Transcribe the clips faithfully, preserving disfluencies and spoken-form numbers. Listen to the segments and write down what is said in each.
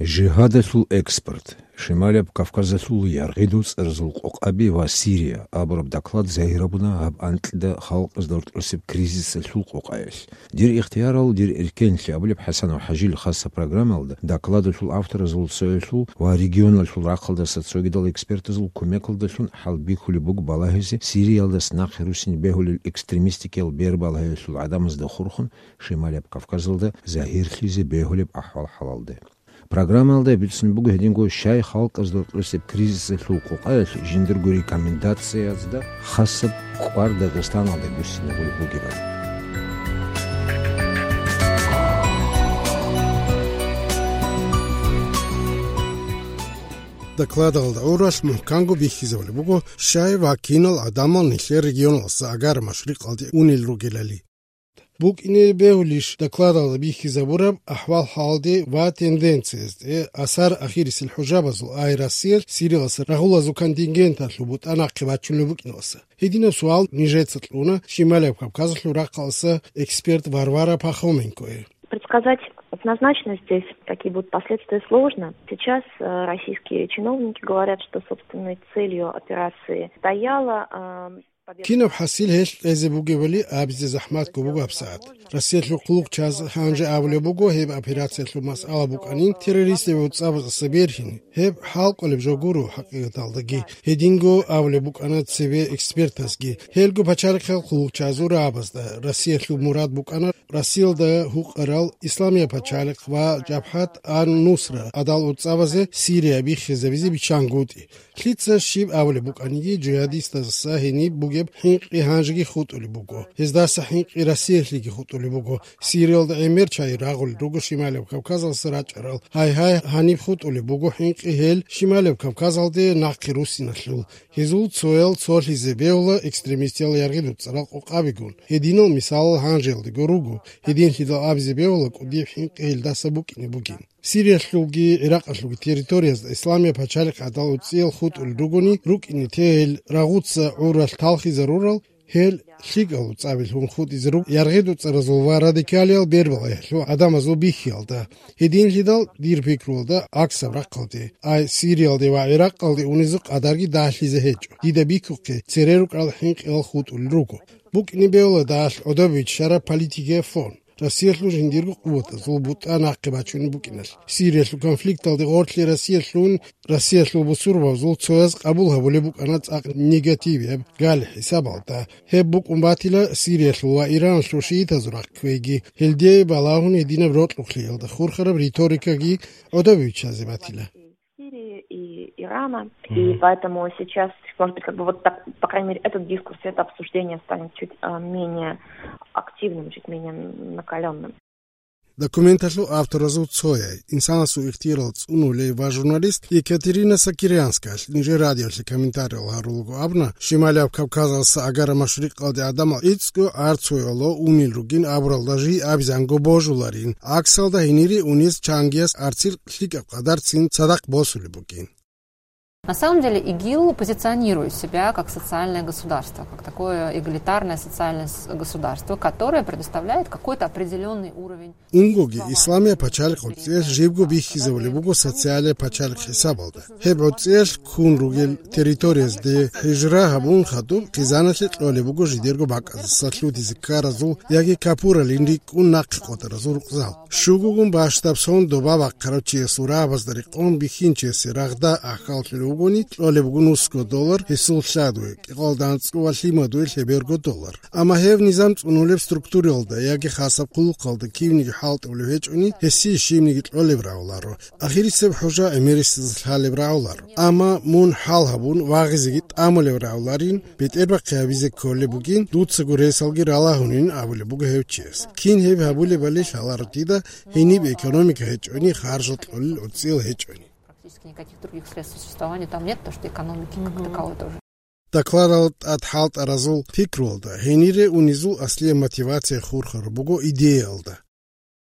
Жигьадалъул экспорт, Шималияб Кавказалъул яргъидул цӀаразул къокъаби ва Сирия абураб доклад загьир гьабуна гьаб анкьида халкъазда рокьулесеб кризисалъул къокъаялъ. «Дир ихтиярал, дир эркенлъи» абулеб ХӀасанов ХӀажил хасаб программаялда докладалъул авторазул цоялъул ва регионалъул рахъалдаса цогидал экспертазул кумекалдалъун хӀалбихьулеб буго балагьизе Сириялдаса нахъе руссине бегьулел экстремистикиял бербалагьиялъул гӀадамазда хурхун Шималияб Кавказалда загьирлъизе бегьулеб ахӀвал-хӀалалде. Программаялда бицун буго гьединго щай халкъазда рокьулесеб кризисалъул къокъаялъ жиндирго рекомендациязда хасаб кӀвар Дагъистаналда гуссинабулеб бугебали. Докладалда гӀуралъ мухӀканго бихьизабулеб буго щай ва кинал гӀадамал нилъер регионалдаса Агара машрикъалде унел ругелали. БукӀине бегьулищ докладалда бихьизабураб ахӀвал-хӀалалде ва тенденциязде асар ахирисел хӀужабазул, ай Россиялъ Сириялдаса рагъулазул контингенталъул бутӀа нахъе бачунеб букӀиналдаса? Гьединаб суал нижеца кьуна Шималияб Кавказалъул рахъалдаса эксперт Варвара Пахоменкое. Предсказать однозначно здесь, какие будут последствия, сложно. Сейчас э, российские чиновники говорят, что, собственной целью операции стояла э, Кинаб хӀасил гьелъ кьезе бугебали абизе захӀматго буго гьабсагӀат. Россиялъул хъулухъчияз гьанже абулеб буго, гьеб операциялъул масъала букӀанин террористазул цӀабазаса бергьин. Гьеб хӀалкӀолеб жо гуро хӀакъикъаталдаги. Гьединго абулеб букӀана цебе экспертазги. Гьелго пачалихъал хъулухъчиязул рагӀабазда Россиялъул мурад букӀана Россиялда гьукъарал Исламияб пачалихъ ва Жабхат ан-Нусра гӀадал цӀабазе Сирия биххизабизе биччангутӀи. Лъица щиб абулеб букӀаниги, жигьадистазаса гьениб бугеб хӀинкъи гьанжеги хутӀулеб буго. Гьездаса хӀинкъи Россиялъеги хутӀулеб буго. Сириялда гӀемер чагӀи рагъулел руго Шималияб Кавказалдаса рачӀарал. Гьай-гьай, гьаниб хутӀулеб буго хӀинкъи гьел Шималияб Кавказалде нахъе руссиналъул. Гьезул цоял цолъизе бегьула экстремистиял яргъи-дуцӀарал къокъабигун. Гьединал мисалал гьанжеялдего руго. Гьединлъидал абизе бегьула кӀудияб хӀинкъи гьелдаса букӀине бугин. Сириялъулги ГӀиракъалъулги территориязда Исламияб пачалихъ гӀадал уцӀиял хутӀулел ругони рукӀине тегьел рагъуца гӀуралъ талхизарурал, гьел лъикӀал цӀабилъун хутӀизе руго яргъи-дуцӀаразул ва радикалиял бербалагьиялъул гӀадамазул бихьиялда. Гьединлъидал, дир пикруялда, аксаб рахъалде, ай Сириялде ва ГӀиракъалде унизе къадарги дагьлъизе гьечӀо. Дида бихьухъе, цере рукӀарал хӀинкъиялъ хутӀулел руго. БукӀине бегьула дагьалъ гӀодобе биччараб политикияб фон. Россиялъул жиндирго къуватазул бутӀа нахъе бачунеб букӀиналъ. Сириялъул конфликталде гъорлъе Россиялъул, Россиялъул бусурбабазул цояз къабул гьабулеб букӀана цӀакъ негативияб гали хӀисабалда. Гьеб букӀун батила Сириялъул ва Ираналъул шиитазул рахъ кквейги. Гьелде балагьун гьединаб рокьулъиялда хурхараб риторикаги гӀодобе биччазе батила. Сирии и Ирана. И Мгм. Поэтому сейчас, может быть, как бы вот так, по крайней мере, этот дискурс, это обсуждение станет чуть а, менее активным, чуть менее накаленным. Документалъул авторазул цояй, инсанасул ихтиярал цӀунулей ва журналист Екатерина Сакирианскаялъ нижер радиолъе комментариял гьарулаго абуна, Шималияб Кавказалдаса Агара машрикъалде гӀадамал гӀицӀго арцуялъ унел ругин абуралда жий абизанго божуларин, аксалда гьенире унез чангияс арцил лъикӀаб къадарцин цадахъ босулеб бугин. На самом деле ИГИЛ позиционирует себя как социальное государство, как такое эгалитарное социальное с- государство, которое предоставляет какой-то определенный уровень. Унгоги, Исламияб пачалихъ гӀуцӀиялъ жибго бихьизабулеб буго социалияб пачалихъ хӀисабалда. Гьеб гӀуцӀиялъ ккун ругел территориязде хӀижра гьабун хадуб хъизаналъе кьолеб буго жидерго бакӀаздаса лъутизе ккаразул яги капуралин рикӀкӀун нахъе къотӀаразул рукъзал. Щугогун бащдаб сон доба бахъарав чиясул рагӀабазда рекъон бихьинчиясе рагъда ахьаллъулев вугони, кьолеб буго нусго доллар, гьесул лъадуе, кӀикъоялда анцӀго ва лъимадуе лъеберго доллар. Амма гьев низам цӀунулеб структураялда яги хасаб хъулухъалда кивниги хӀалтӀулев гьечӀони, гьесие щибниги кьолеб рагӀуларо. Ахирисеб хӀужа гӀемерисез лъалеб рагӀуларо. Амма мун хӀал гьабун вагъизеги тӀамулеб рагӀуларин, бетӀербахъи гьабизе кколеб бугин, дуцаго ресалги ралагьунин абулеб буго гьев чияс. Кин гьеб гьабулебали лъаларо дида, гьениб экономика гьечӀони харжал кьолел гӀуцӀиял гьечӀони. Практически никаких других средств существования там нет, потому что экономики как Мгм. таковой тоже. Докладал тӀад хӀалтӀаразул пикруялда гьенире унизул аслияб мотивация хурхараб буго идеялда.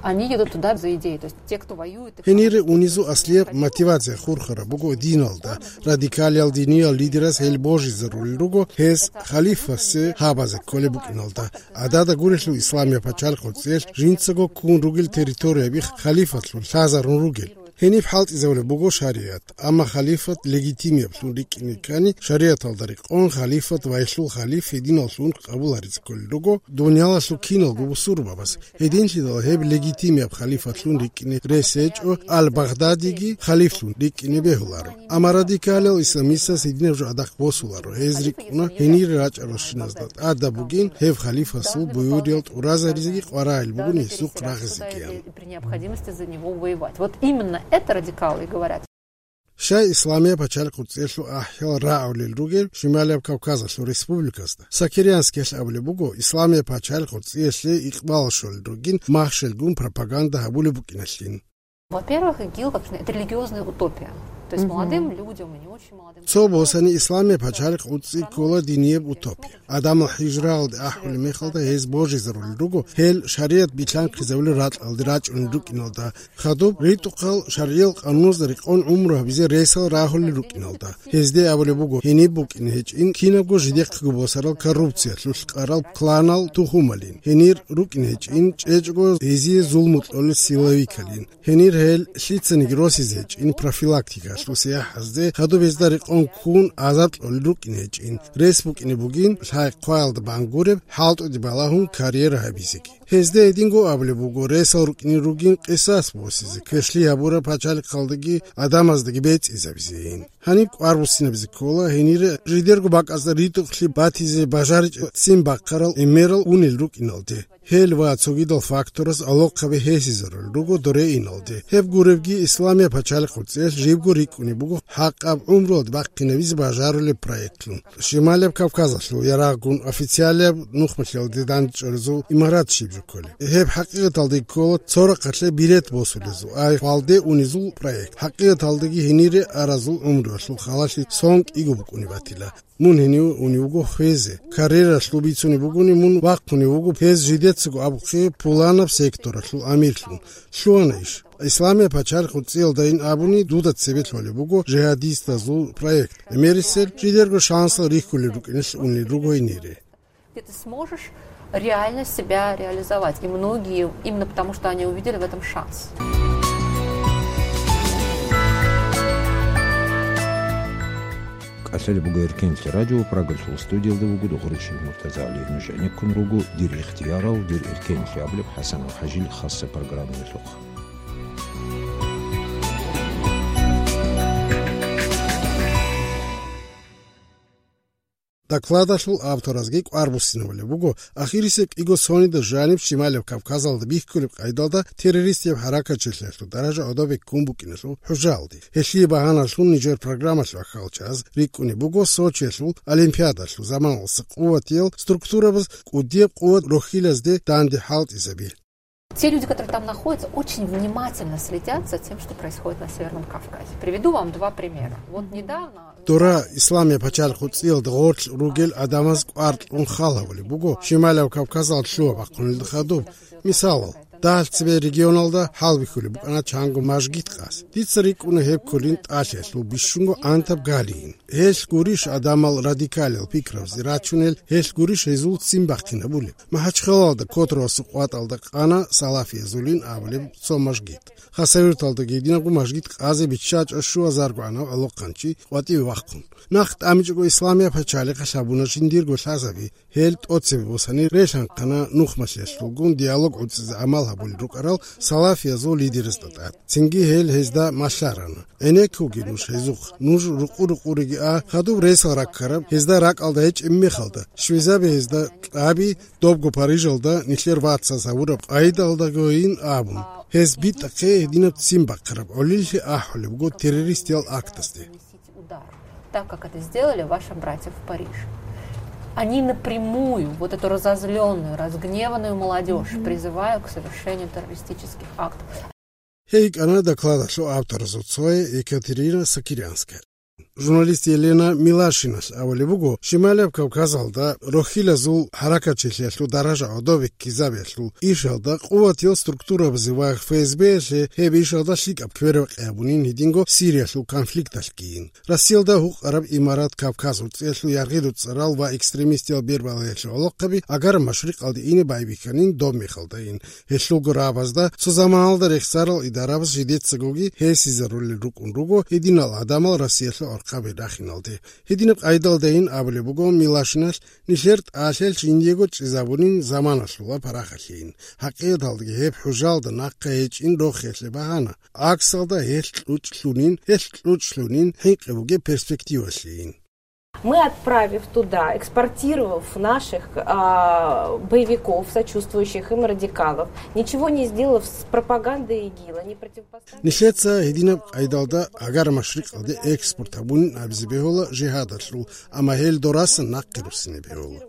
Они едут туда за идеей, то есть те, кто воюет, их Гьенире унизул аслияб мотивация хурхараб буго диналда. Радикалиял диниял лидерас гьел божизарулел руго гьес халифасе гьабазе кколеб букӀиналда. ГӀадада гурелъул Исламияб пачалихъ гӀуцӀиялъ жинцаго ккун ругел территорияби халифатлъун лъазарун ругел. Гьениб хӀалтӀизабулеб буго шаригӀат, амма халифат легитимиаблъун рикӀкӀине ккани, шаригӀаталда рекъон халифат вагьлъул халиф гьединаллъун къабул гьаризе кколел руго, дуниялалъул киналго бусурбабаз. Гьединлъидал гьеб легитимиаб халифатлъун рикӀкӀине рес гьечӀо, Ал-Багъдадиги халифлъун рикӀкӀине бегьуларо. Амма радикалиял исламистаз гьединаб жо гӀадахъ босуларо, гьез рикӀкӀуна гьенире рачӀаралщиназда тӀадаб бугин гьеб халифасул буюриял тӀуразаризеги къваригӀел бугин гьесухъ рагъизегиян. При необходимости за него воевать. Вот именно это радикалы и говорят. Щай Исламияб пачалихъ гъурцӀиялъул ахӀиял рагӀулел ругел Шималияб Кавказалъул республикасда? Сокирянскиялъ абулеб буго, Исламияб пачалихъ гъурцӀиялъе икъбал щолел ругин махщелгун пропаганда гьабулеб букӀиналъин. Во-первых, ИГИЛ, как это религиозная утопия. То есть молодым людям и не очень молодым. Цо босани, Исламияб пачалихъ гъурцӀи ккола динияб утопия. Адамал хӀижраялде ахӀулеб мехалда гьез божизарулел руго, гьел шаригӀат билълъанхъизабулел ракьалде рачӀунел рукӀиналда. Хадуб ритӀухъал шаргӀиял къануналда рекъон гӀумру гьабизе ресал рагьулел рукӀиналда. Гьезде абулеб буго, гьениб букӀине гьечӀин кинабго жидехъего босарал коррупциялъулъ къарал кланал тухумалин. Гьенир рукӀине гьечӀин чӀечӀого гьезие зулму кьолел силовикалин. Гьенир гьел лъицаниги росизе гьечӀин профилактикалъул сияхӀазде, хадуб гьезда рекъон ккун азаб кьолел рукӀине гьечӀин. Рес букӀине бугин лъай-хъваялда бангуреб, хӀалтӀуде балагьун карьера гьабизеги. Гьезда гьединго абулеб буго, ресал рукӀине ругин къисас босизе, квешлъи гьабураб пачалихъалдаги адамаздаги бецӀизабизейин. Гьаниб кӀвар буссинабизе ккола, гьенире жидерго бакӀазда ритӀухълъи батизе бажаричӀеб ццин бахъарал эменал унел рукӀиналде. Гьел ва цогидал фактораз алохъаби гьесизарулел руго доре иналде. Гьеб гуребги, Исламияб пачалихъ гъурцӀиялъ жибго рикӀкӀунеб буго хӀакъаб гӀумруялде бахъинабизе бажарулеб проектлъун. Шималияб Кавказалъул ярагъгун официалияб нухмалъиялде дандчӀваризул имарат щиб жо кколеб. Гьеб хӀакъикъаталда ккола цо рахъалъе билет босулезул, ай хвалде унезул проект. ХӀакъикъаталдаги гьенире аразул гӀумруялъул халалъи сон кӀиго букӀунеб батила. Мун гьенив унев вуго хвезе. Карьералъул бицунеб бугони, мун вахъунев вуго гьез жидецаго абухъе пуланаб секторалъул амирлъун. Лъугьана иш. Исламияб пачалихъ гъурцӀиялдайин абуни, дуда цебе лъолеб буго жигьадистазул проект. Эмерисел жидерго шансал рихьулел рукӀиналъ унел руго гьенире. Где ты сможешь реально себя реализовать. И многие, именно потому что они увидели в этом шанс. КӀалъалеб буго Эркенлъи радио, Прагалъул студиялда вуго Духаричил Муртазагьали. Нуж гӀенеккун руго «Дир ихтиярал, дир эркенлъи» абулеб ХӀасан ал-ХӀажил хасса программаялъухъ. Докладалъул авторазги кӀвар буссинабулеб буго, ахирисеб кӀиго сонида жаниб Шималияб Кавказалда бихьулеб къайдалда террористияб хӀаракатчилъиялъул даража гӀодобе ккун букӀиналъул хӀужаалде. Гьелъие багьаналъун нижер программалъ вахъал чӀаз рикӀкӀунеб буго Сочиялъул Олимпиадалъул заманалъуса къуватиял структурабаз кӀудияб къуват рохьилазде данде хӀалтӀизаби. Те люди, которые там находятся, очень внимательно следят за тем, что происходит на Северном Кавказе. Приведу вам два примера. Вот недавно... Дора Исламияб пачалихъ гъурцӀиялда гъорлъ ругел адамаз кӀвар кьун хал гьабулеб буго Шималияб Кавказалда лъугьа-бахъунелда хадуб. Мисалал, дагьал цебе регионалда хӀалбихьулеб букӀана чанго мажгит къаз. Дица рикӀкӀуна гьеб кколин ТӀалъиялъул бищунго гӀантаб галийин. Гьелъ гурищ адамал радикалиял пикрабазе рачунел, гьелъ гурищ гьезул ццин бахъинабулеб? МахӀачхъалалда Котравасул къватӀалда къана салафиязулин абулеб цо мажгит. Хасавюрталдаги гьединабго мажгит къазе биччачӀо щуазаргогӀанав гӀолохъанчи къватӀиве вахъун. Нахъ тӀамичӀого Исламияб пачалихъалъ гьабуна жиндирго лъазаби. Гьел тӀоцебе босани релъанхъана нухмалъиялъулгун диалог гӀуцӀизе гӀамал гьабулел рукӀарал салафиязул лидерасда тӀад. Цинги гьел гьезда малъарана: «ГӀенеккуге нуж гьезухъ, нуж рукъу-рукъуреги а, хадуб ресал раккараб гьезда ракӀалда гьечӀеб мехалда, щвезабе гьезда кьаби, добго Парижалда нилъер вацаз гьавураб къайдалдагойин», — абун. Гьез битӀахъе гьединаб ццин бахъараб гӀолилъи ахӀулеб буго террористиял актазде. Удар, так как это сделали ваши братья в Париже. Они напрямую вот эту разозлённую, разгневанную молодёжь призывают к совершению террористических актов. Гьей йикӀана докладалъул авторазул цое Екатерина Сокирянская. Журналист Елена Милашиналъ абулеб буго, Шималияб Кавказалда рохьилазул хӀаракатчилъиялъул даража гӀодобеккизабиялъул ишалда къуватиял структурабазе ва ФСБ-ялъе гьеб ишалда лъикӀаб квербакъи гьабунин гьединго Сириялъул конфликталъгийин. Россиялда гьукъараб Имарат Кавказ гӀурцӀиялъул яргъиду цӀарал ва экстремистиял бербалаялъул гӀолохъаби Агар-Машрикъалде ине байбихьанин доб мехалдайин. Гьелъулго рагӀабазда цо заманалда рехсарал идарабаз жидецагоги гьесизарулел рукӀун руго гьединал гӀадамал Россиялъул гӀорхъаби рахиналде. Гьединаб къайдалдайин абулеб буго Милашиналъ, нилъер тӀалъал жиндиего чӀезабунин заманалъула парахалъейин. ХӀакъикъаталдаги гьеб хӀужалда нахъа гьечӀин рохелъе багьана. ГӀаксалда гьелъ кьучӀлъунин, гьелъ кьучӀлъунин хӀинкъи бугеб перспективалъейин. Мы, отправив туда, экспортировав наших, а, боевиков, сочувствующих им радикалов, ничего не сделав с пропагандой ИГИЛа, не противопоставив... Нилъеца гьединаб къайдалда Агар-Машрикъалде экспорт гьабунин абизе бегьула жигьадалъул, амма гьел дорасан нахъе руссине бегьула.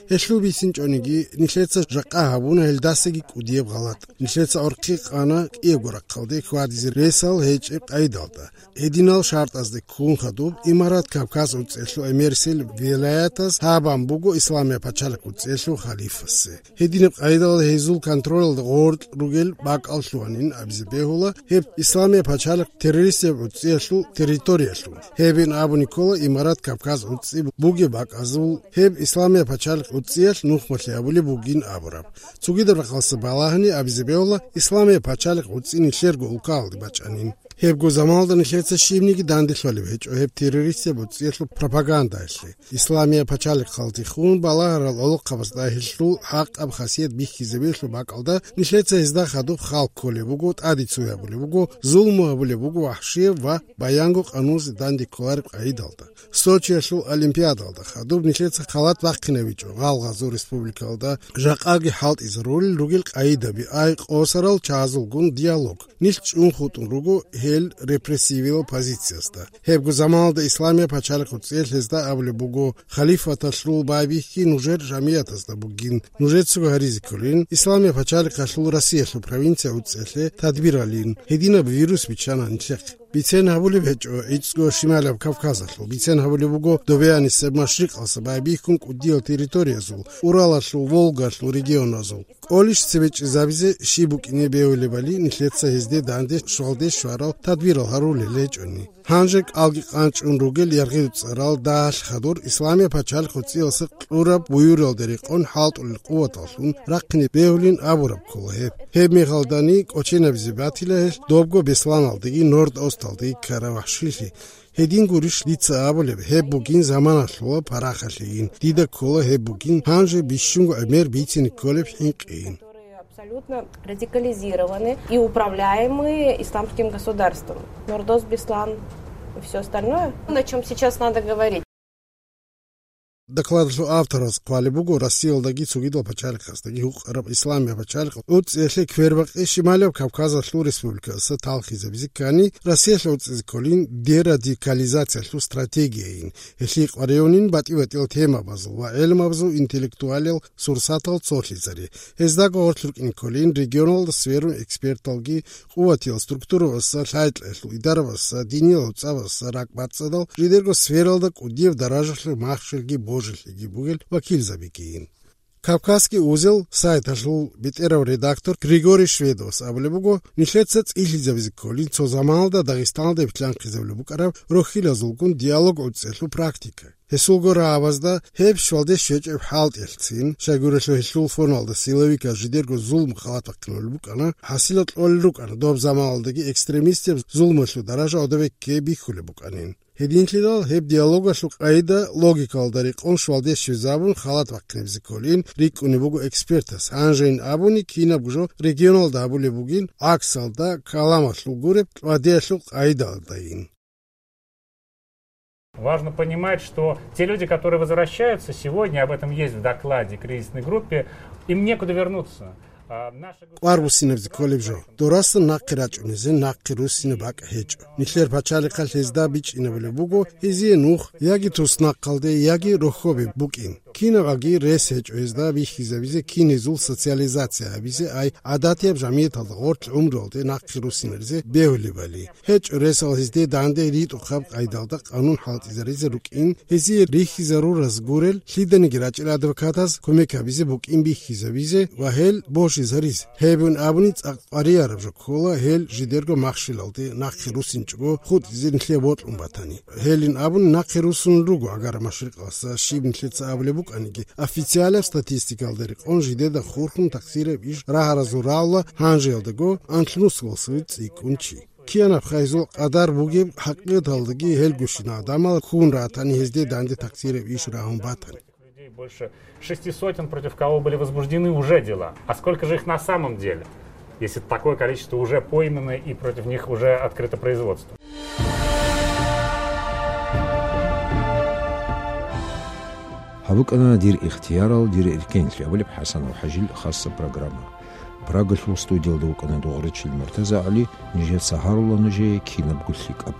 Гьелъул бицинчӀониги, нилъеца жакъа гьабуна гьелдасаги кӀудияб гъалатӀ. Нилъеца гӀорхъи къана кӀиябго рахъалде хьвадизе ресал гьечӀеб къайдалда. Гьединал шартӀазде ккун хадуб Имарат Кавказ гӀурцӀиялъул эмерсел вилаятаз гьабан буго Исламия пачалихъ гӀурцӀиялъул халифасе. Гьединаб къайдалда гьезул контролалда гъоркь ругел бакӀал лъугьанин абизе бегьула гьеб Исламия пачалихъ террористияб гӀурцӀиялъул территориялъул. Гьебин абуни ккола Имарат Кавказ гӀурцӀи бугеб бакӀазул гьеб Исламия пачалихъ гӀурцӀиялъ нухмалъи гьабулеб бугин абураб. Цогидаб рахъалъа балагьани абизе бегьула Исламия пачалихъ гӀурцӀи нилъерго улкаялде бачӀанин. Гьебго заманалда нилъеца щибниги данделъулеб гьечӀо гьеб террористияб гӀурцӀиялъул пропагандаялъе. Исламия пачалихъалдехун балагьарал гӀолохъабазда гьелъул хӀакъаб хасият бихьизабиялъул бакӀалда нилъеца гьезда хадуб хал кколеб буго, тӀаде цо гьабулеб буго, зулму гьабулеб буго вахӀшияб ва баянго къануназе данде кколареб къайдалда. Сочиялъул Олимпиадалда хадуб нилъеца халат бахъинабичӀо гъалгъазул республикалда жакъаги хӀалтӀизарулел ругел къайдаби, ай къосарал чагӀазулгун диалог. Нилъ чӀун хутӀун руго гьел репрессивиял позициязда. Гьебго заманалда Исламия пачалихъ гӀурцӀиялъ гьезда абулеб буго, халифаталъул байбихьи нужер жамиятазда бугин, нужецаго гьаризе кколин, Исламия пачалихъалъул Россиялъул провинция гӀурцӀиялъе тадбиралин, гьединаб вирус биччана нилъехъе. Бицен гьабулеб гьечӀо гӀицӀго Шималаб Кавказалъул, бицен гьабулеб буго Добеянисеб Машрикъалса байбихьун кӀудиял территориязул, Уралалъул, Волгалъул регионазул. КӀолищ цебе чӀезабизе щиб букӀине бегьулебали нилъеца гьезде данде щвалде щварал тадбирал гьарулел гьечӀони. Гьанже кӀалги къанчӀун ругел яргъи цӀарал дагьалъ хадур Исламия пачалихъ гӀурцӀиялса кьураб буюралда рекъон хӀалтӀулел къуваталлъун рахъине бегьулин абураб ккола гьеб. Гьеб мехалдани кӀоченабизе батила гьелъ добго Бесланалдеги Норд-Осталдеги ккараб вахӀшилъи. Гьедин гурищ дица абулеб, гьеб бугин заманалъула парахалъейин. Дида ккола гьеб бугин гьанже бищунго гӀемер бицине кколеб хӀинкъийин. Абсолютно радикализированы и управляемые исламским государством. Нордос, Беслан и всё остальное, на чём сейчас надо говорить. Докладалъул автораз хъвалеб буго Россиялдаги цогидал пачалихъаздаги гьукъараб Исламия пачалихъ гӀурцӀиялъе квербакъи Шималияб Кавказалъул республикаялдаса талхизабизе ккани, Россиялъ гӀурцӀизе кколин дерадикализациялъул стратегияйин, гьелъие къваригӀунин батӀи-батӀиял темабазул ва гӀелмабазул интеллектуалиял сурсатал цолъизари. Гьездаго гъорлъ рукӀин кколин регионалда сверун эксперталги, къуватиял структурабазда, лъай-кьеялъул идарабазда, диниял гӀуцӀабазда, ракӀбацӀцӀадал жидерго сфералда кӀудияб даражалъул махщелги божилъиги бугел вакилзабигийин. Кавказский узел сайталъул бетӀерав редактор Григорий Шведовас абулеб буго, нилъеца цӀилъизабизе кколин цо заманалда Дагъистаналда битлъанхъизабулеб букӀараб рохьилазулгун диалог гӀурцӀиялъул практика. Гьесулго рагӀабазда гьеб щвалде щвечӀеб хӀалтӀиялъцин, щайгурелъул гьелъул фоналда силовиказ жидерго зулму халат бахъинулел букӀана, хӀасилал кьолел рукӀана доб заманалдаги экстремистияб зулмуялъул даража гӀодобекке бихьулеб букӀанин. Гьединлъидал гьеб диалогалъул къайда логикалда рекъон щвалде щвезабун халат бахъинабизе кколин рикӀкӀунеб буго экспертас, гьанжейин абуни кинабго жо регионалда гьабулеб бугин, гӀаксалда, каламалъул гуреб, кьвадиялъул къайдалдайин. Важно понимать, что те люди, которые возвращаются сегодня, об этом есть в докладе кризисной группе, им некуда вернуться. А, наша... Къварбуссинаб зикколеб жо. Дорасда нахъе рачӀунизе нахъе руссине бакӀ гьечӀо. Нилъер пачалихъалъ гьезда бичӀчӀинабулеб буго гьезие нух яги туснахъалде, яги рохьобе букӀин. Кинабаги рес гьечӀо гьезда бихьизабизе, кин гьезул социализация гьабизе, ай гӀадатияб жамияталда гъорлъ гӀумруялде нахъе руссинаризе бегьулебали. ГьечӀо ресал гьезде данде ритӀухъаб къайдалда къанун хӀалтӀизаризе рукӀин, гьезие рихьизарураз гурел лъиданиги рачӀел адвокатаз кумек гьабизе букӀин бихьизабизе ва гьел божизаризе. Гьебин абуни цӀакъ къварияраб жо ккола гьел жидерго махщелалде нахъе руссинчӀого хутӀизе нилъее бокьун батани. Гьелин абуни нахъе руссун руго Агара Машрикъалдаса щиб нилъеца абулеб букӀаниги, официалаб статистикалда рекъон жидеда хурхун таксираб иш рагьаразул рагӀула гьанжеялдаго анлънусалъув цӀикӀкӀун чи. Киянаб хайзул къадар бугеб хӀакъикъаталдаги гьелгощин гӀадамал ккун ратани гьезде данде таксираб иш рагьун батани. Людей больше шести сотен, против кого были возбуждены уже дела. А сколько же их на самом деле, если такое количество уже пойманы и против них уже открыто производство? Гьабукана дир ихтиярал, дир эркенлъи абулеб ХӀасанов ХӀажил хасса программа. Прагалъул студиялда вукӀана Дугъричил МуртазагӀали, нижеца гьарула нужее кинабго лъикӀаб.